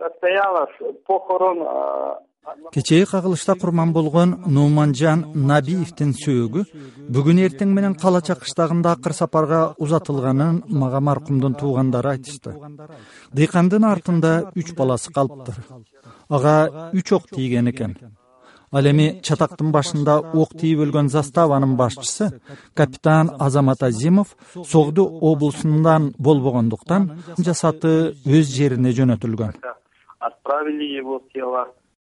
состоялось похорон. Кечээ кагылышта курман болгон Нуманжан Набиевдин сөөгү бүгүн эртең менен Кала Чакыштагында акыр сапарга узатылганын мага маркумдун туугандары айтышты. Дыйкандын артында 3 баласы калыптыр. Ага 3 ок тийген экен. Ал эми чатактын башында ок тийип өлгөн заставанын башчысы капитан Азамат Азимов Согду облусундан болбогондуктан жасаты өз жерине жөнөтүлгөн. Отправили его тело